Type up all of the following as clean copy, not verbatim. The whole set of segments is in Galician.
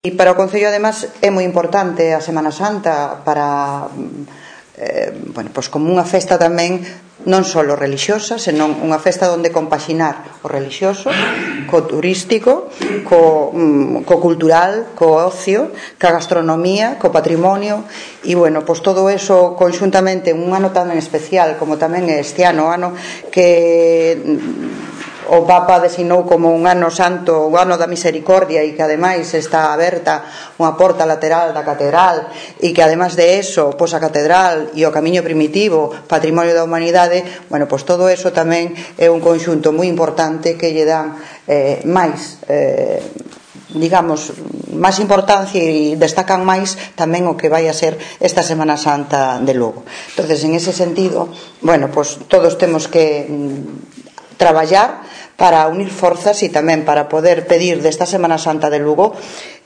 E para o Concello, además, é moi importante a Semana Santa para, pois como unha festa tamén non só relixiosa, senón unha festa onde compaxinar o relixioso co turístico, co cultural, co ocio, ca gastronomía, co patrimonio e, pois todo eso conxuntamente un ano tan especial como tamén este ano, que o Papa designou como un ano santo, o ano da misericordia, e que ademais está aberta unha porta lateral da catedral, e que ademais de eso, pois a catedral e o camiño primitivo, patrimonio da humanidade, pois todo eso tamén é un conxunto moi importante que lle dan máis máis importancia e destacan máis tamén o que vai a ser esta Semana Santa de Lugo. Entonces, en ese sentido, pois todos temos que traballar para unir forzas e tamén para poder pedir desta Semana Santa de Lugo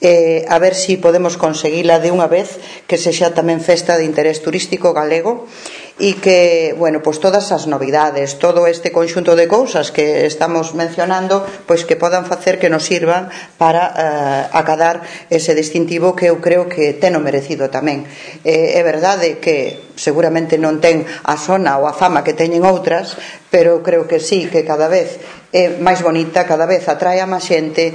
a ver si podemos conseguila de unha vez, que sexa tamén festa de interés turístico galego e que, pois todas as novidades, todo este conxunto de cousas que estamos mencionando, pois que podan facer que nos sirvan para acadar ese distintivo que eu creo que ten o merecido tamén. É verdade que seguramente non ten a sona ou a fama que teñen outras, pero creo que sí, que cada vez é máis bonita, cada vez atrae a máis xente,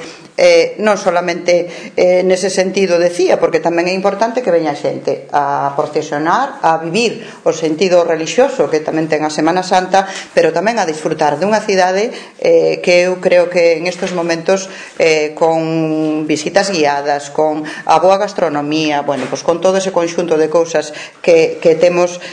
non solamente nese sentido decía, porque tamén é importante que veña xente a procesionar, a vivir o sentido relixioso que tamén ten a Semana Santa, pero tamén a disfrutar dunha cidade que eu creo que en estes momentos, con visitas guiadas, con a boa gastronomía, pois con todo ese conxunto de cousas que temos,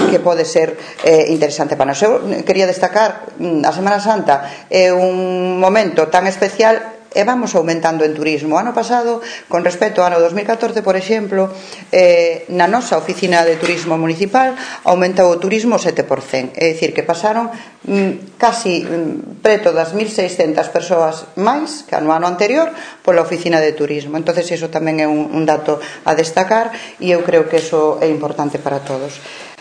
que pode ser interesante para nós. Eu quería destacar a Semana Santa é un momento tan especial e vamos aumentando en turismo. O ano pasado, con respecto ao ano 2014, por exemplo, na nosa oficina de turismo municipal aumentou o turismo 7%, é dicir, que pasaron casi preto das 1.600 persoas máis que no ano anterior pola oficina de turismo. Entonces, iso tamén é un dato a destacar e eu creo que iso é importante para todos.